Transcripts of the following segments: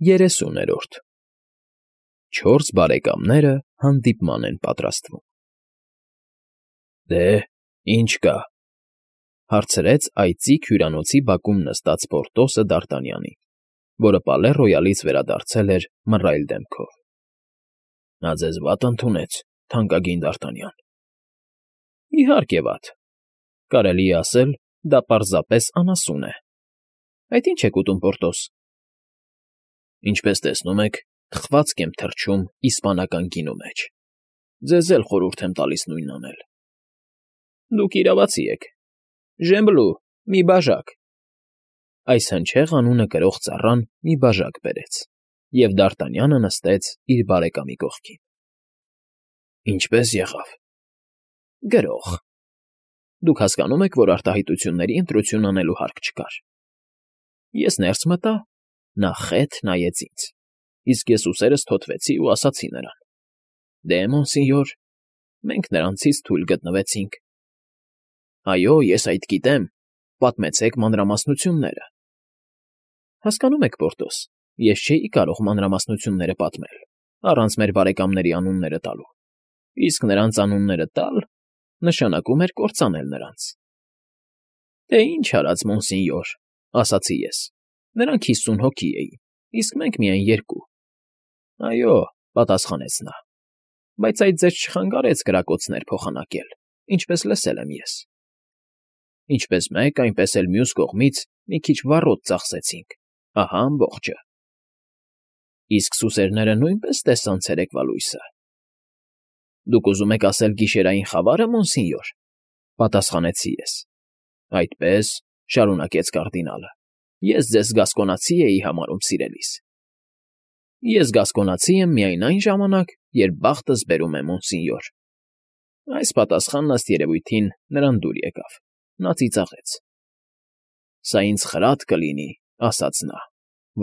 30-րդ Չորս բարեկամները հանդիպման են պատրաստվում։ Դե, ինչ կա,֊ հարցրեց այծիկ հյուրանոցի բակում նստած Պորտոսը Դ'Արտանյանին, որը Պալե Ռոյալից վերադարձել էր մռայլ դեմքով։ ֊ Նա ձեզ վատ ընդունեց, թանկագին Դ'Արտանյան։ ֊ Իհարկե վատ, կարելի է ասել, դա պարզապես անասուն է։ Այդ ի՞նչ եք ուտում, Պորտոս։ ֊ Ինչպես տեսնում եք, թխվածք եմ թռչում իսպանական գինու մեջ։ Ձեզ էլ խորհուրդ եմ տալիս նույնն անել։ ֊ Դուք իրավացի եք։ Ժեմբլու, մի բաժակ… Այս հնչեղ անունը կրող ծառան մի բաժակ բերեց, և Դ'Արտանյանը նստեց իր բարեկամի կողքին։ ֊ Ինչպե՞ս եղավ։ ֊ Գրող… Դուք հասկանում եք, որ արտահայտությունների ընտրություն անելու հարկ չկար։ Ես ներս մտա, նա խեթ նայեց ինձ, իսկ ես ուսերս թոթվեցի ու ասացի նրան. «Դե, մոնսինյոր, մենք նրանցից թույլ գտնվեցինք»։ ֊ Այո, ես այդ գիտեմ, պատմեցեք մանրամասնությունները։ ֊ Հասկանո՞ւմ եք, Պորտոս, ես չէի կարող մանրամասնությունները պատմել, առանց մեր բարեկամների անունները տալու, իսկ նրանց անունները տալ նշանակում էր կործանել նրանց։ ֊ Դե ինչ արած, մոնսինյոր, ասացի ես, նրանք 50 հոգի էին, իսկ մենք միայն 2։ ֊ Այո, պատասխանեց նա, բայց այդ ձեզ չխանգարեց կրակոցներ փոխանակել, ինչպես լսել եմ ես։ ֊ Ինչպես մեկ, այնպես էլ մյուս կողմից մի քիչ վառոդ ծախսեցինք, ահա ամբողջը։ ֊ Իսկ սուսերները նույնպես տեսան ցերեկվա լույսը։ ֊ Դուք ուզում եք ասել գիշերային խավա՞ռը, մոնսինյոր,֊ պատասխանեցի ես։ ֊ Այդպես,֊ շարունակեց կարդինալը,֊ ես ձեզ գասկոնացի էի համարում սիրելիս։ ֊ Ես գասկոնացի եմ միայն այն ժամանակ, երբ բախտս բերում է, մոնսինյոր։ Այս պատասխանն, ըստ երևույթին, նրան դուր եկավ, նա ծիծաղեց։ ֊ Սա ինձ խրատ կլինի,֊ ասաց նա,֊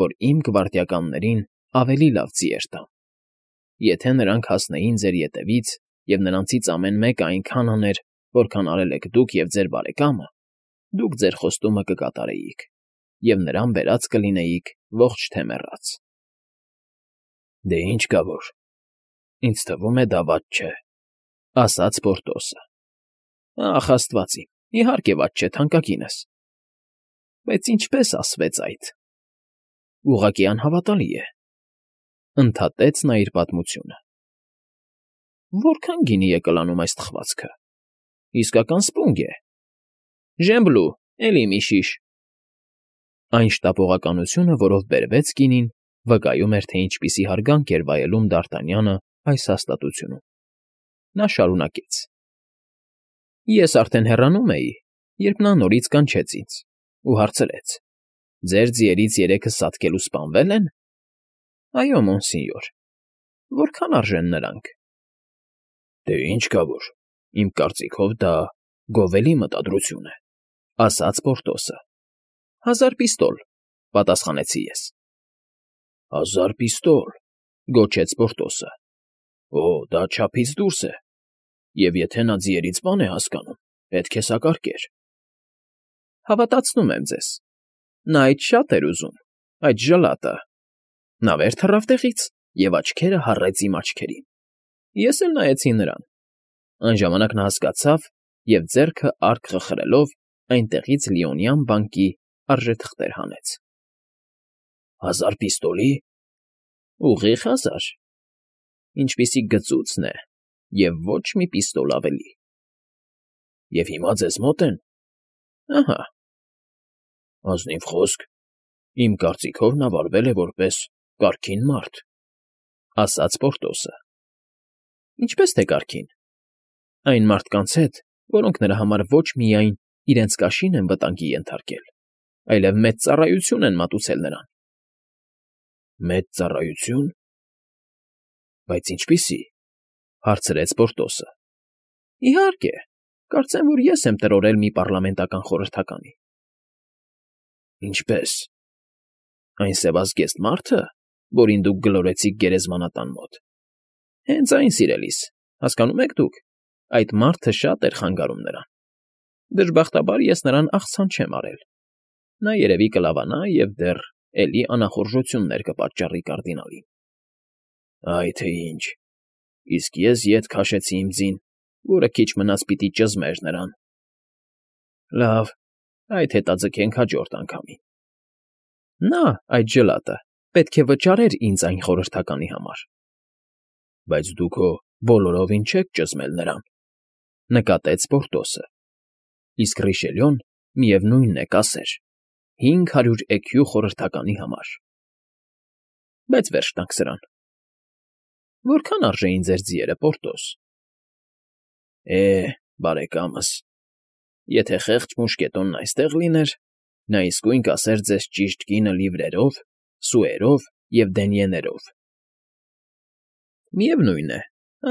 որ իմ գվարդիականներին ավելի լավ ձիեր տամ։ Եթե նրանք հասնեին ձեր ետևից, և նրանցից ամեն մեկը այնքան աներ, որքան արել եք դուք և ձեր բարեկամը, դուք ձեր խոստումը կկատարեիք, և նրան բերած կլինեիք ողջ թե մեռած։ ֊ Դե ինչ կա որ, ինձ թվում է դա վատ չէ,֊ ասաց Պորտոսը։ ֊ Ախ, աստված իմ, իհարկե վատ չէ, թանկագինս։ Բայց ինչպե՞ս ասվեց այդ։ ֊ Ուղղակի անհավատալի է,֊ ընդհատեց նա իր պատմությունը։ ֊ Որքա՞ն գինի է կլանում այս թխվածքը։ Իսկական սպունգ է։ Ժեմբլու, էլի մի շիշ… Այն շտապողականությունը, որով բերվեց գինին, վկայում էր, թե ինչպիսի հարգանք էր վայելում Դ'Արտանյանը այս հաստատությունում։ Նա շարունակեց. ֊ Ես արդեն հեռանում էի, երբ նա նորից կանչեց ինձ ու հարցրեց. «Ձեր ձիերից 3-ը սատկել ու սպանվե՞լ են»։ ֊ Այո, մոնսինյոր։ ֊ Որքան արժեն նրանք։ ֊ Դե ինչ կա որ, իմ կարծիքով դա գովելի մտադրություն է,֊ ասաց Պորտոսը։ ֊ 1000 պիստոլ,֊ պատասխանեցի ես։ ֊ 1000 պիստոլ,֊ գոչեց Պորտոսը։ ֊ Օ, դա չափից դուրս է, և եթե նա ձիերից բան է հասկանում, պետք է սակարկեր։ ֊ Հավատացնում եմ ձեզ, նա այդ շատ էր ուզում, այդ ժլատը… Նա վեր թռավ տեղից և աչքերը հառեց իմ աչքերին։ Ես էլ նայեցի նրան։ Այն ժամանակ նա հասկացավ և, ձեռքը արկ խխրելով, այնտեղից լիոնյան բանկի արժեթղթեր հանեց։ ֊ 1000 պիստոլի։ ֊ Ուղիղ 1000, ինչպիսի գծուծն է և ոչ մի պիստոլ ավելի։ ֊ Եվ հիմա ձեզ մոտ են։ ֊ Ահա։ ֊ Ազնիվ խոսք, իմ կարծիքով նա վարվել է որպես կարգին մարդ,֊ ասաց Պորտոսը։ ֊ Ինչպես թե կարգին։ Այն մարդկանց հետ, որոնք նրա համար ոչ միայն իրենց կաշին են վտանգի ենթարկել, այլև մեծ ծառայություն են մատուցել նրան։ ֊ Մեծ ծառայությո՞ւն։ Բայց ինչպիսի,֊ հարցրեց Պորտոսը։ ֊ Իհարկե, կարծեմ, որ ես եմ տրորել մի պառլամենտական խորհրդականի։ ֊ Ինչպե՞ս։ ֊ Այն սևազգեստ մարդը, որին դուք գլորեցիք գերեզմանատան մոտ։ Հենց այն, սիրելիս, հասկանո՞մ եք դուք, այդ մարդը շատ էր խանգարում նրան։ Դժբախտաբար ես նրան աղցան չեմ արել։ Նա երևի կլավանա և դեռ էլի անախորժություններ կպատճառի կարդինալին։ Այ թե ինչ, իսկ ես ետ քաշեցի իմ ձին, որը քիչ մնաց պիտի ճզմեր նրան։ Լավ, այդ հետաձգենք հաջորդ անգամին։ Նա, այդ ջլատը, պետք է վճարեր ինձ այն խորհրդականի համար։ Բայց դու քո բոլորովին չեք ճզմել նրան, նկատեց Պորտոսը։ Իսկ Ռիշելյոն, միևնույնն է, կասեր 500 էքյու խորհրդականի համար։ Բայց վերջ տանք սրան։ Որքան արժեին ձեր ձիերը, Պորտոս։ Բարեկամս, եթե խեղճ մուշկետոնն այստեղ լիներ, նա իսկույն կասեր ձեզ ճիշտ կինը լիվրերով, սուերով և դենյեներով։ Միևնույն է,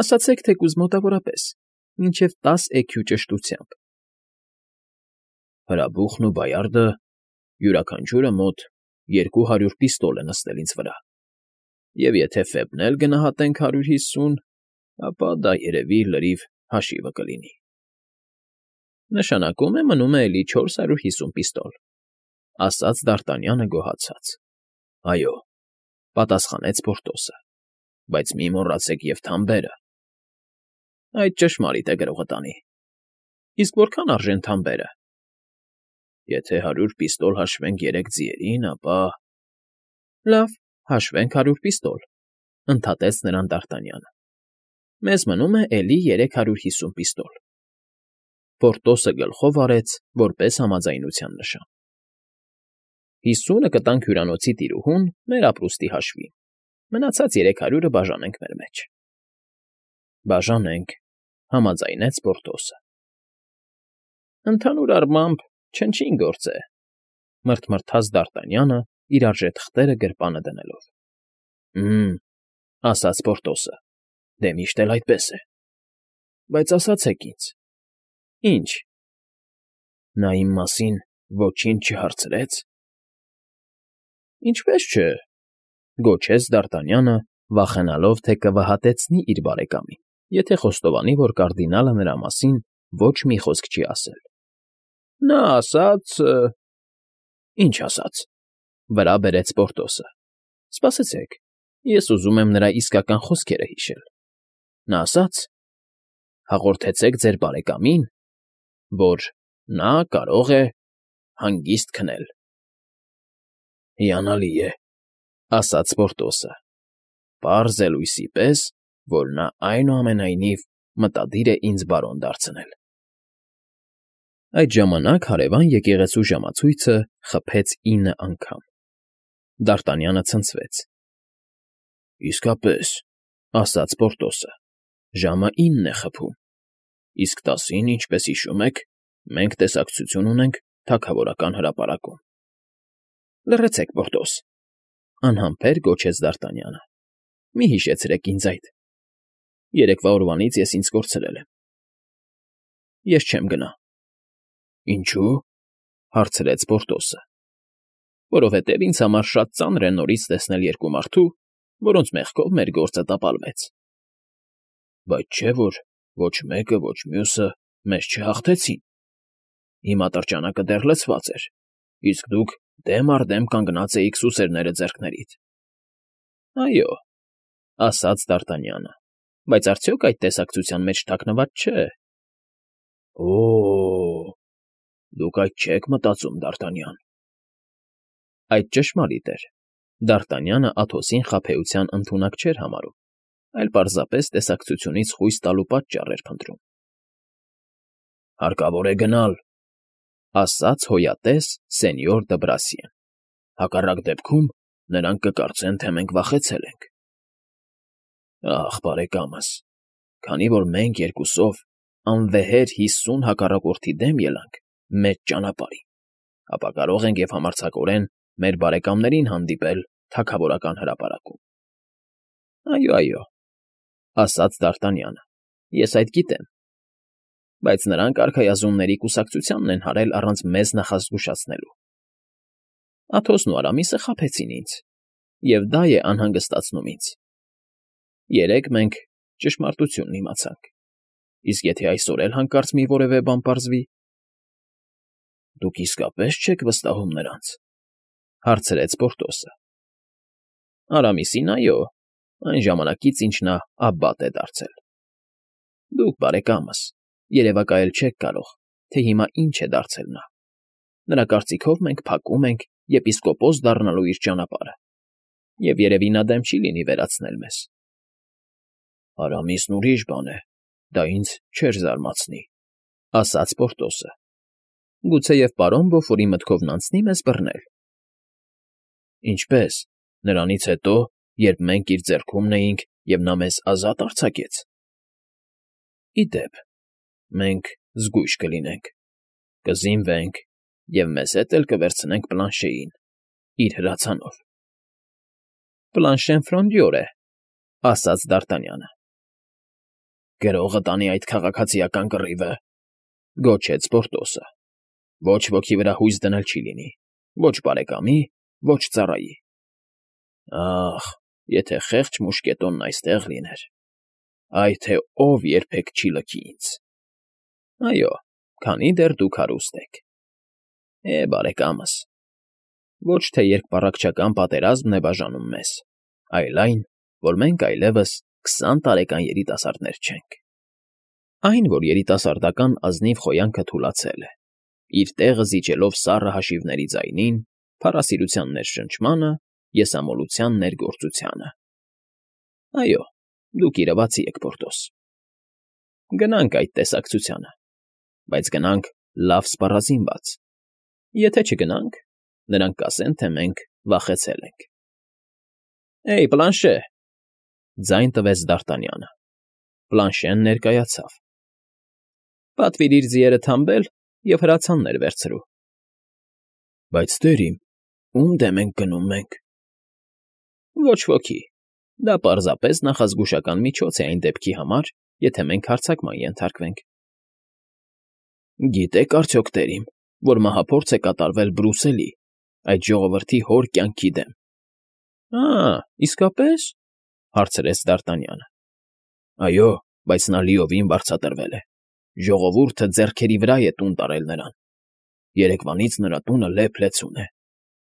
ասացեք թեկուզ մոտավորապես, մինչև 10 էքյու ճշտությամբ։ Հրաբուխն ու բայարդը յուրաքանչյուրը մոտ 200 պիստոլ է նստել ինձ վրա, և եթե Ֆեբն էլ գնահատենք 150, ապա դա երևի լրիվ հաշիվը կլինի։ Նշանակում է մնում է էլի 450 պիստոլ, ասաց Դ'Արտանյանը գոհացած։ Այո, պատասխանեց Պորտոսը, բայց մի մոռացեք և թամբերը։ Այդ ճշմարիտ է գրողտանի։ Իսկ որքան արժեն թամբերը։ Եթե 100 պիստոլ հաշվենք 3 ձիերին, ապա… Լավ, հաշվենք 100 պիստոլ, ընդհատեց նրան Դ'Արտանյանը։ Մեզ մնում է էլի 350 պիստոլ։ Պորտոսը գլխով արեց, որպես համաձայնության նշան։ 50-ը կտանք հյուրանոցի տիրուհուն մեր ապրուստի հաշվին, մնացած 300-ը բաժանենք մեր մեջ։ Բաժանենք, համաձայնեց Պորտոսը։ Ընդհանուր առմամբ չնչին գործ է, մռթմռթաց Դ'Արտանյանը իր արժեթղթերը գրպանը դնելով։ Ասաց Պորտոսը, դե միշտ էլ այդպես է։ Բայց ասացեք ինձ։ Ինչ։ Նա իմ մասին ոչինչ չհարցրեց։ Ինչպես չէ, գոչեց Դ'Արտանյանը, վախենալով, թե կվհատեցնի իր բարեկամին, եթե խոստովանի, որ կարդինալը նրա մասին ոչ մի խոսք չի ասել։ Նա ասաց… Ինչ ասաց, վրա բերեց Պորտոսը։ Սպասեցեք, ես ուզում եմ նրա իսկական խոսքերը հիշել։ Նա ասաց. հաղորդեցեք ձեր բարեկամին, որ նա կարող է հանգիստ քնել։ Հիանալի է, ասաց Պորտոսը, պարզ է լույսի պես, որ նա այնուամենայնիվ մտադիր է ինձ բարոն դարձնել։ Այդ ժամանակ հարևան եկեղեցու ժամացույցը խփեց 9 անգամ։ Դ'Արտանյանը ցնցվեց։ Իսկապես, ասաց Պորտոսը, ժամը 9 է խփում, իսկ 10-ին, ինչպես հիշում եք, մենք տեսակցություն ունենք թագավորական հրապարակում։ Լռեցեք, Պորտոս, անհամբեր գոչեց Դ'Արտանյանը։ Մի հիշեցրեք ինձ այդ։ Երեկվա օրվանից ես ինձ կորցրել եմ։ Ես չեմ գնա։ Ինչու՞, հարցրեց Պորտոսը։ Որովհետև ինձ համար շատ ծանր է նորից տեսնել երկու մարդու, որոնց մեղքով մեր գործը տապալվեց։ Բայց չէ՞ որ ոչ մեկը, ոչ մյուսը մեզ չհաղթեցին։ Հիմա տրջանակը դեռ լցված էր, իսկ դուք դեմ առ դեմ կանգնած էիք սուսերները ձեռքներիդ։ Այո, ասաց Դ'Արտանյանը, բայց արդյոք այդ տեսակցության մեջ թաքնված չէ։ Դուք այդ չեք մտածում, Դ'Արտանյան։ Այդ ճշմարիտ էր։ Դ'Արտանյանը Աթոսին խաբեության ընդունակ չէր համարում, այլ պարզապես տեսակցությունից խույս տալու պատճառ էր փնտրում։ Հարկավոր է գնալ, ասաց հոյատես սենյոր Դ'Բրասիեն։ Հակառակ դեպքում նրանք կկարծեն, թե մենք վախեցել ենք։ Ախ, բարեկամս, քանի որ մենք երկուսով անվեհեր 50 հակառակորդի դեմ ելանք մեծ ճանապարհին, ապա կարող ենք և համարձակորեն մեր բարեկամներին հանդիպել թագավորական հրապարակում։ Այո, ասաց Դ'Արտանյանը, ես այդ գիտեմ, բայց նրանք արքայազնների կուսակցությանն են հարել առանց մեզ նախազգուշացնելու։ Աթոսն ու Արամիսը խաբեցին ինձ, և դա է անհանգստացնում ինձ։ Երեկ մենք ճշմարտությունն իմացանք, իսկ եթե այսօր էլ հանկարծ մի որևէ բան պարզվի… Դուք իսկապես չեք վստահում նրանց։ Հարցրեց Պորտոսը։ Արամիսին, այո, այն ժամանակից, ինչ նա աբբատ է դարձել։ Դուք, բարեկամս, երևակայել չեք կարող, թե հիմա ինչ է դարձել նա։ Նրա կարծիքով մենք փակում ենք եպիսկոպոս դառնալու իր ճանապարհը, և երևի նա դեմ չի լինի վերացնել մեզ։ Արամիսն ուրիշ բան է, դա ինձ չէր զարմացնի, ասաց Պորտոսը։ Գուցեև պարոն Բոֆորի մտքովն անցնի մեզ բռնել։ Ինչպե՞ս, նրանից հետո, երբ մենք իր ձեռքումն էինք, և նա մեզ ազատ արձակեց։ Ի դեպ, մենք զգույշ կլինենք, կզինվենք և մեզ հետ էլ կվերցնենք Պլանշեին, իր հրացանով։ Պլանշեն ֆրոնդյոր է, ասաց Դ'Արտանյանը։ Գրողը տանի այդ քաղաքացիական կռիվը, գոչեց Պորտոսը։ Ոչ ոքի վրա հույս դնել չի լինի, ոչ բարեկամի, ոչ ծառայի։ Ախ, եթե խեղճ մուշկետոնն այստեղ լիներ, այ թե ով երբեք չի լքի ինձ։ Այո, քանի դեռ դուք հարուստ եք։ Բարեկամս, ոչ թե երկպառակտչական պատերազմն է բաժանում մեզ, այլ այն, որ մենք այլևս 20 տարեկան երիտասարդներ չենք։ Այն, որ երիտասարդական ազնիվ խոյանքը թուլացել է, իր տեղը զիջելով սառը հաշիվների ձայնին, փառասիրության ներշնչմանը, եսամոլության ներգործությանը։ Այո, դուք իրավացի եք, Պորտոս։ Գնանք այդ տեսակցությանը, բայց գնանք լավ սպառազինված։ Եթե չգնանք, նրանք կասեն, թե մենք վախեցել ենք։ Պլանշե, ձայն տվեց Դ'Արտանյանը։ Պլանշեն ներկայացավ։ Պատվիրիր ձիերը թամբել և հրացաններ վերցրու։ Բայց տերիմ, ում դեմ ենք գնում մենք։ Ոչ ոքի։ Դա պարզապես նախազգուշական միջոց է այն դեպքի համար, եթե մենք հարձակման ենթարկվենք։ Գիտեք արդյոք, տերիմ, որ մահափորձ է կատարվել Բրուսելի, այդ ժողովրդի հոր կյանքի դեմ։ Իսկապես, հարցրեց Դ'Արտանյանը։ Այո, բայց նա լիովին վարձատրվել է։ Ժողովուրդը ձեռքերի վրա է տուն տարել նրան։ Երեկվանից նրա տունը լեփ-լեցուն է։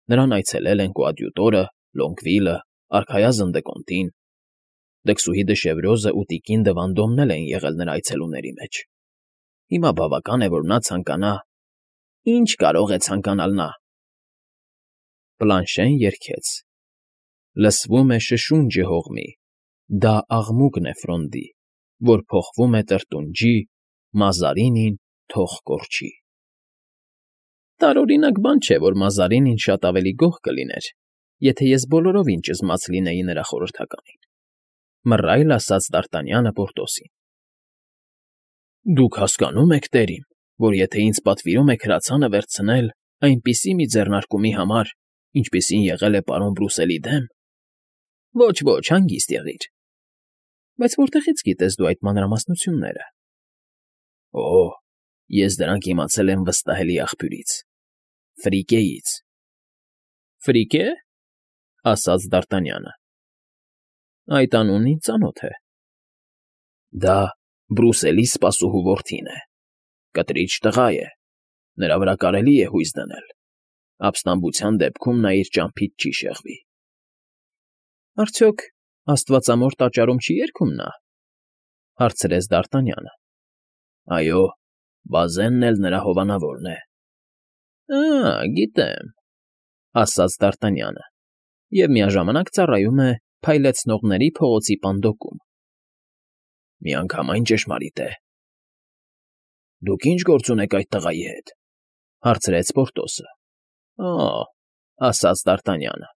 Նրան այցելել են կոադյուտորը, Լոնգվիլը, արքայազն Դեկոնտին։ Դքսուհի Դշևրոզը ու տիկին Դվանդոմն են եղել նրա այցելուների մեջ։ Հիմա բավական է, որ նա ցանկանա… Ինչ կարող է ցանկանալ նա։ Պլանշեն երգեց. Լսվում է շշունջը հողմի, դա աղմուկն է Ֆրոնդի, որ փոխվում է տրտունջի, Մազարինին թող կորչի։ Տարօրինակ բան չէ, որ Մազարինին շատ ավելի գոհ կլիներ, եթե ես բոլորովին ճզմած լինեի նրա խորհրդականին, մռայլ ասաց Դ'Արտանյանը Պորտոսին։ Դուք հասկանում եք, տերիմ, որ եթե ինձ պատվիրում եք հրացանը վերցնել այնպիսի մի ձեռնարկումի համար, ինչպիսին եղել է պարոն Բրուսելի դեմ… Ոչ, հանգիստ եղիր։ Բայց որտեղից գիտես դու այդ մանրամասնությունները։ Ես դրանք իմացել եմ վստահելի աղբյուրից… Ֆրիկեից։ Ֆրիկե՞, ասաց Դ'Արտանյանը։ Այդ անունն ինձ ծանոթ է։ Դա Բրուսելի սպասուհու որդին է, կտրիչ տղա է, նրա վրա կարելի է հույս դնել, ապստամբության դեպքում նա իր ճամփից չի շեղվի։ Արդյոք աստվածամոր տաճարում չի երգում նա, հարցրեց Դ'Արտանյանը։ Այո, Բազենն էլ նրա հովանավորն է։ Գիտեմ, ասաց Դ'Արտանյանը, և միաժամանակ ծառայում է Փայլեցնողների փողոցի պանդոկում։ Միանգամայն ճշմարիտ է։ Դուք ինչ գործ ունեք այդ տղայի հետ, հարցրեց Պորտոսը։ Ասաց Դ'Արտանյանը,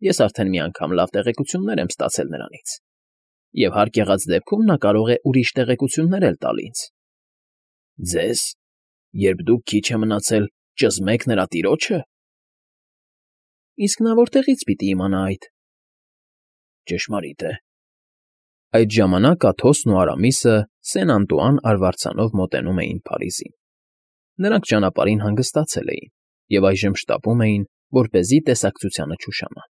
ես արդեն մի անգամ լավ տեղեկություններ եմ ստացել նրանից, և հարկ եղած դեպքում նա կարող է ուրիշ տեղեկություններ էլ տալ ինձ։ Ձեզ, երբ դուք քիչ է մնացել, ճզմեք նրա տիրոջը։ Իսկ նա որտեղից պիտի իմանա այդ։ Ճշմարիտ է։ Այդ ժամանակ Աթոսն ու Արամիսը Սեն֊Անտուան արվարձանով մոտենում էին Փարիզին։ Նրանք ճանապարհին հանգստացել էին և այժմ շտապում էին, որպեսզի տեսակցությանը չուշանան։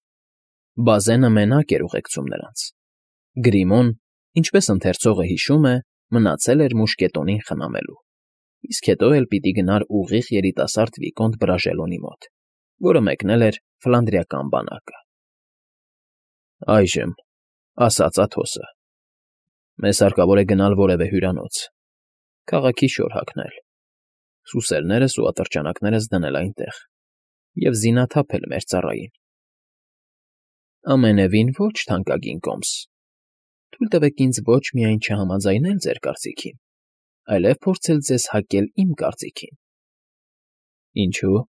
Բազենը մենակ էր ուղեկցում նրանց։ Գրիմոն, ինչպես ընթերցողը հիշում է, մնացել էր մուշկետոնին խնամելու, իսկ հետո էլ պիտի գնար ուղիղ երիտասարդ վիկոնտ Բրաժելոնի մոտ, որը մեկնել էր Ֆլանդրիական բանակը։ Այժմ, ասաց Աթոսը, մեզ հարկավոր է գնալ որևէ հյուրանոց, քաղաքի շոր հագնել, սուսերներս ու ատրճանակներս դնել այնտեղ և զինաթափել մեր ծառային։ Ամենևին ոչ, թանկագին Կոմս, թույլ տվեք ինձ ոչ միայն չհամաձայնել ձեր կարծիքին, այլև փորձել ձեզ հակել իմ կարծիքին։ Ինչու՞։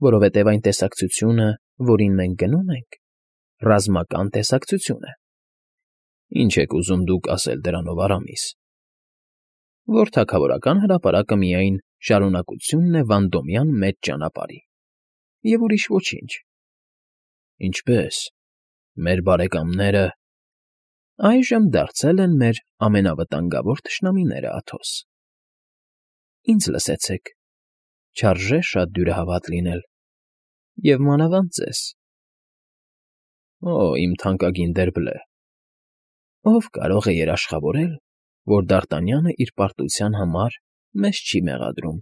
Որովհետև այն տեսակցությունը, որին մենք գնում ենք, ռազմական տեսակցություն է։ Ինչ եք ուզում դուք ասել դրանով, Արամիս։ Որ թագավորական հրապարակը միայն շարունակությունն է Վանդոմյան մեծ ճանապարհի, և ուրիշ ոչինչ։ Ինչպե՞ս, մեր բարեկամները… Այժմ դարձել են մեր ամենավտանգավոր թշնամիները, Աթոս։ Ինձ լսեցեք, չարժե շատ դյուրահավատ լինել, և մանավանդ ձեզ։ Օ, իմ թանկագին Դերբլե, ով կարող է երաշխավորել, որ Դարտանյանը իր պարտության համար մեզ չի մեղադրում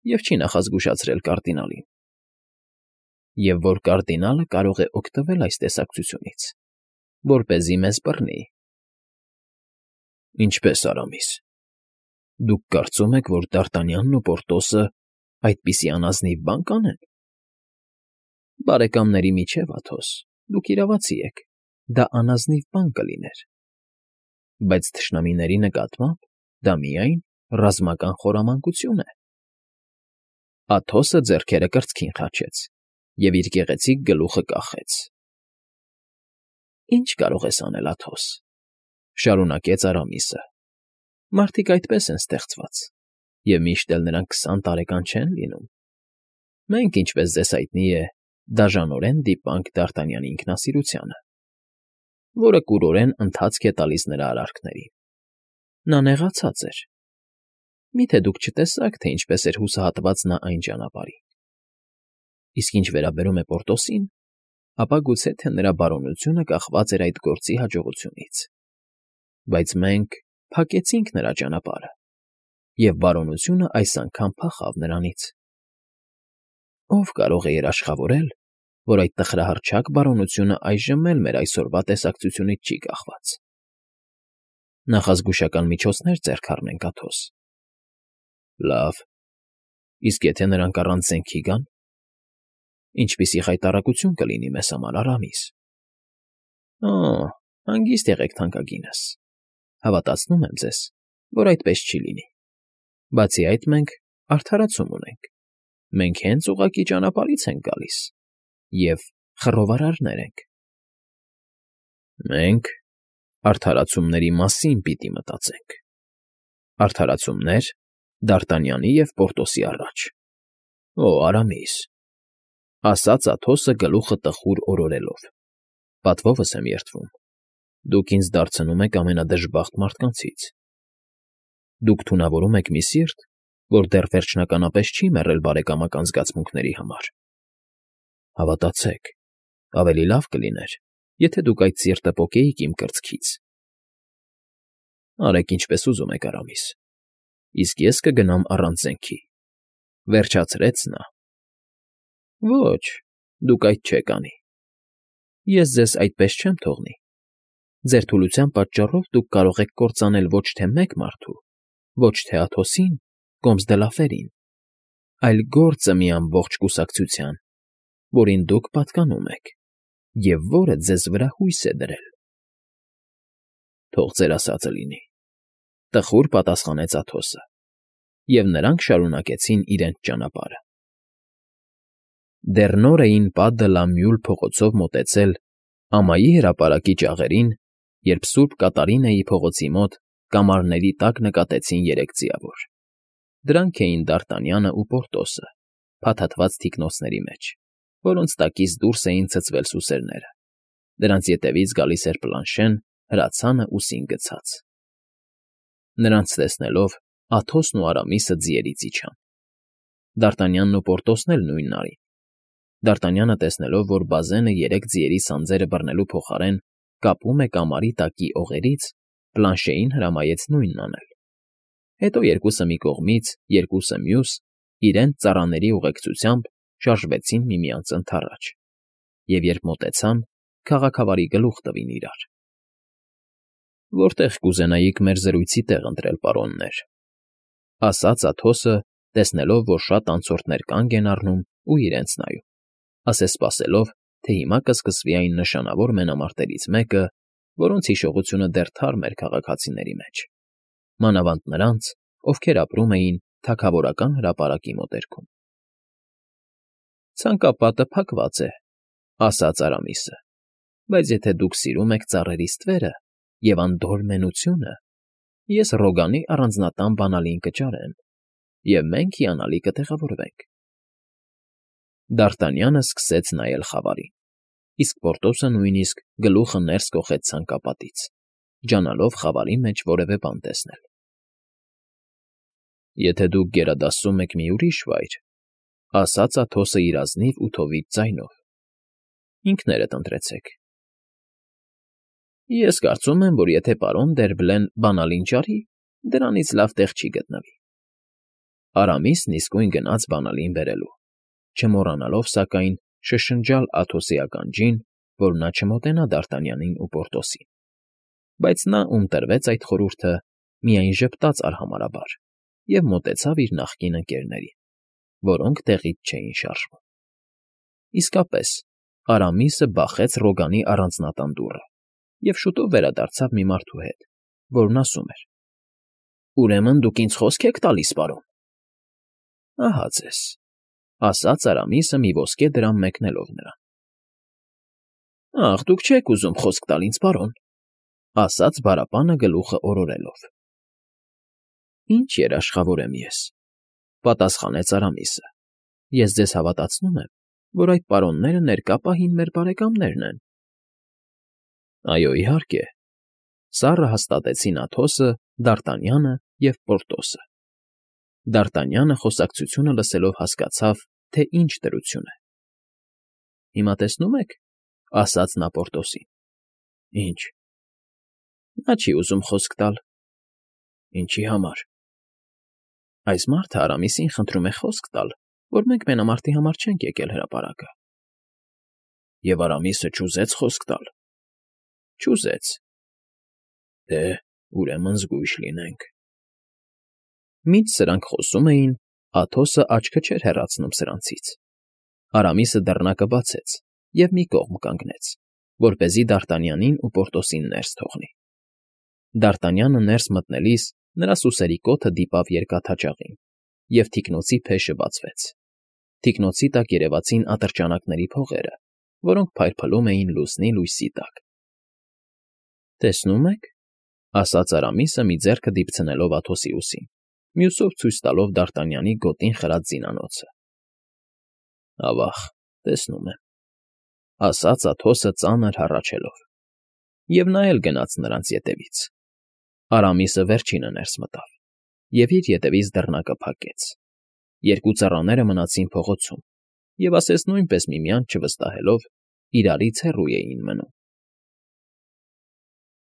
և չի նախազգուշացրել կարդինալին, և որ կարդինալը կարող է օգտվել այս տեսակցությունից, որպեսզի մեզ բռնի։ Ինչպե՞ս, Արամիս, դուք կարծում եք, որ Դարտանյանն ու Պորտոսը այդպիսի անազնիվ բան կանեն։ Բարեկամների միջև, Աթոս, դուք իրավացի եք, դա անազնիվ բան կլիներ, բայց թշնամիների նկատմամբ դա միայն ռազմական խորամանկություն է։ Աթոսը ձեռքերը կրծքին խաչեց և իր գեղեցիկ գլուխը կախեց։ Ինչ կարող ես անել, Աթոս, շարունակեց Արամիսը, մարդիկ այդպես են ստեղծված, և միշտ էլ նրանք 20 տարեկան չեն լինում։ Մենք, ինչպես ձեզ հայտնի է, դաժանորեն դիպանք Դարտանյանի ինքնասիրությանը, որը կուրորեն ընթացք է տալիս նրա արարքներին։ Նա նեղացած էր։ Մի՞թե դուք չտեսաք, թե ինչպես էր հուսահատված նա այն ճանապարհին։ Իսկ ինչ վերաբերում է Պորտոսին, ապա գուցե թե նրա բարօնությունը կախված էր այդ գործի հաջողությունից։ Բայց մենք փակեցինք նրա ճանապարհը, և բարօնությունը այս անգամ փախավ նրանից։ Ո՞վ կարող է երաշխավորել, որ այդ տխրահռչակ բարօնությունը այժմ էլ մեր այսօրվա տեսակցությունից չի կախված։ Նախազգուշական միջոցներ ձեռք առնենք, Աթոս։ Լավ, իսկ եթե նրանք առանց զենքի գան, ինչպիսի խայտառակություն կլինի մեզ համար, Արամիս։ Օ, հանգիստ եղեք, թանկագինս, հավատացնում եմ ձեզ, որ այդպես չի լինի։ Բացի այդ, մենք արդարացում ունենք, մենք հենց ուղղակի ճանապարհից ենք գալիս և խռովարարներ ենք։ Մենք արդարացումների մասին պիտի մտածենք։ Արդարացումներ Դարտանյանի և Պորտոսի առաջ։ Օ, Արամիս, ասաց Աթոսը գլուխը տխուր օրորելով, պատվովս եմ երդվում, դուք ինձ դարձնում եք ամենադժբախտ մարդկանցից։ Դուք թունավորում եք մի սիրտ, որ դեռ վերջնականապես չի մեռել բարեկամական զգացմունքների համար։ Հավատացեք, ավելի լավ կլիներ, եթե դուք այդ սիրտը պոկեիք իմ կրծքից։ Արեք ինչպես ուզում եք, Արամիս, իսկ ես կգնամ առանց զենքի, վերջացրեց նա։ Ոչ, դուք այդ չեք անի։ Ես ձեզ այդպես չեմ թողնի։ Ձեր թուլության պատճառով դուք կարող եք կործանել ոչ թե մեկ մարդու, ոչ թե Աթոսին, Կոմս դե Լաֆերին, այլ գործը մի ամբողջ կուսակցության, որին դուք պատկանում եք, և որը ձեզ վրա հույս է դրել։ Թող ձեր ասածը լինի, տխուր պատասխանեց Աթոսը, և նրանք շարունակեցին իրենց ճանապարհը։ Դեռ նոր էին Պա դը լա Մյուլ փողոցով մոտեցել ամայի հրապարակի ճաղերին, երբ Սուրբ Կատարինեի փողոցի մոտ կամարների տակ նկատեցին երեք ձիավոր։ Դրանք էին Դարտանյանը ու Պորտոսը, փաթաթված թիկնոցների մեջ, որոնց տակից դուրս էին ցցվել սուսերները։ Նրանց ետևից գալիս էր Պլանշեն, հրացանը ուսին գցած։ Նրանց տեսնելով Աթոսն ու Արամիսը ձիերից իջան։ Դարտանյանն ու Պորտոսն էլ նույնն արին։ Դարտանյանը տեսնելով, որ բազենը երեք ձիերի սանձերը բռնելու փոխարեն կապում է կամարի տակի օղերից, Պլանշեին հրամայեց նույնն անել։ Հետո երկուսը մի կողմից, երկուսը մյուս, իրենց ծառաների ուղեկցությամբ շարժվեցին միմյանց ընդառաջ, և երբ մոտեցան, քաղաքավարի գլուխ տվին իրար։ «Որտեղ կուզենայիք մեր զրույցի տեղ ընտրել, պարոններ», ասաց Աթոսը, տեսնելով, որ շատ անցորդներ կանգ են առնում ու իրենց նայում, ասես սպասելով, թե հիմա կսկսվի այն նշանավոր մենամարտերից մեկը, որոնց հիշողությունը դեռ թարմ էր քաղաքացիների մեջ, մանավանդ նրանց, ովքեր ապրում էին թագավորական հրապարակի մոտերքում։ «Ցանկապատը փակված է», ասաց Արամիսը, «բայց եթե դուք սիրում եք ծառերի ստվերը և անդորր մենությունը, ես Ռոգանի առանձնատան բանալին կճարեմ, և մենք հիանալի կտեղավորվենք»։ Դ'Արտանյանը սկսեց նայել խավարին, իսկ Պորտոսը նույնիսկ գլուխը ներս կոխեց ցանկապատից, ջանալով խավարի մեջ որևէ բան տեսնել։ «Եթե դուք գերադասում եք մի ուրիշ վայր,֊ ասաց Աթոսը իր ազնիվ ու թովիճ ձայնով,֊ ինքներդ ընտրեցեք»։ «Ես կարծում եմ, որ եթե պարոն Դերբլեն բանալին ճարի, դրանից լավ տեղ չի գտնվի»։ Արամիսն իսկույն գնաց բանալին բերելու, չմոռանալով, սակայն, շշնջալ Աթոսի ականջին, որ նա չմոտենա Դ'Արտանյանին ու Պորտոսին, բայց նա, ում տրվեց այդ խորհուրդը, միայն ժպտաց արհամարհաբար և մոտեցավ իր նախկին ընկերներին, որոնք տեղից չէին շարժվում։ Իսկապես, Արամիսը բախեց Ռոգանի առանձնատան դուռը և շուտով վերադարձավ մի մարդու հետ, որն ասում էր. «Ուրեմն դուք ինձ խոսք եք տալիս, պարոն»։ «Ահա ձեզ», ասաց Արամիսը մի ոսկե դրամ մեկնելով նրան։ «Ախ, դուք չեք ուզում խոսք տալ ինձ, պարոն», ասաց բարապանը գլուխը օրորելով։ «Ինչ երաշխավոր եմ ես», պատասխանեց Արամիսը։ «Ես ձեզ հավատացնում եմ, որ այդ պարոնները ներկա պահին մեր բարեկամներն են»։ «Այո, իհարկե», սառը հաստատեցին Աթոսը, Դ'Արտանյանը և Պորտոսը։ Դ'Արտանյանը խոսակցությունը լսելով հասկացավ, թե ինչ դրություն է։ «Հիմա տեսնում եք,֊ ասաց նա Պորտոսին։ «Ինչ»։ «Նա չի ուզում խոսք տալ»։ «Ինչի համար»։ «Այս մարդը Արամիսին խնդրում է խոսք տալ, որ մենք մենամարտի համար չենք եկել հրապարակը»։ «Եվ Արամիսը չուզեց խոսք տալ»։ «Չուզեց»։ «Դե, ուրեմն զգույշ լինենք»։ Մինչ սրանք խոսում էին, Աթոսը աչքը չէր հեռացնում սրանցից։ Արամիսը դռնակը բացեց և մի կողմ կանգնեց, որպեսզի Դ'Արտանյանին ու Պորտոսին ներս թողնի։ Դ'Արտանյանը ներս մտնելիս նրա սուսերի կոթը դիպավ երկաթաճաղին, և թիկնոցի փեշը բացվեց։ Թիկնոցի տակ երևացին ատրճանակների փողերը, որոնք փայլփլում էին լուսնի լույսի տակ։ «Տեսնում եք,֊ ասաց Արամիսը մի ձեռքը դիպցնելով Աթոսի ուսին, մյուսով ցույց տալով Դ'Արտանյանի գոտին խրած զինանոցը։ «Ավա՜ղ, տեսնում եմ»,֊ ասաց Աթոսը ծանր հառաչելով։ Եվ նա էլ գնաց նրանց ետևից։ Արամիսը վերջինը ներս մտավ և իր ետևից դռնակը փակեց։ Երկու ծառաները մնացին փողոցում և ասես նույնպես միմյանց չվստահելով, իրարից հեռու էին մնում։